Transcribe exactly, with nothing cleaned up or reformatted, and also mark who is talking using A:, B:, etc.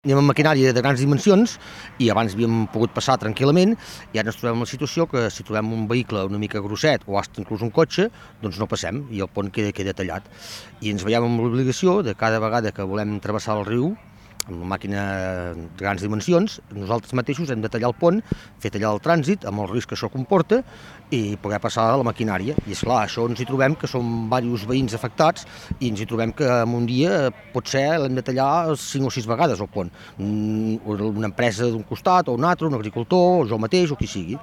A: Anem amb maquinària de grans dimensions i abans havíem pogut passar tranquil·lament i ara ens trobem en la situació que si trobem un vehicle una mica grosset o fins inclús un cotxe, doncs no passem i el pont queda, queda tallat. I ens veiem amb l'obligació de cada vegada que volem travessar el riu amb una màquina de grans dimensions, nosaltres mateixos hem de tallar el pont, fer tallar el trànsit amb el risc que això comporta i poder passar a la maquinària. I esclar, això ens hi trobem que som diversos veïns afectats i ens hi trobem que en un dia potser l'hem de tallar cinc o sis vegades el pont. Una empresa d'un costat o un altre, un agricultor, o jo mateix o qui sigui.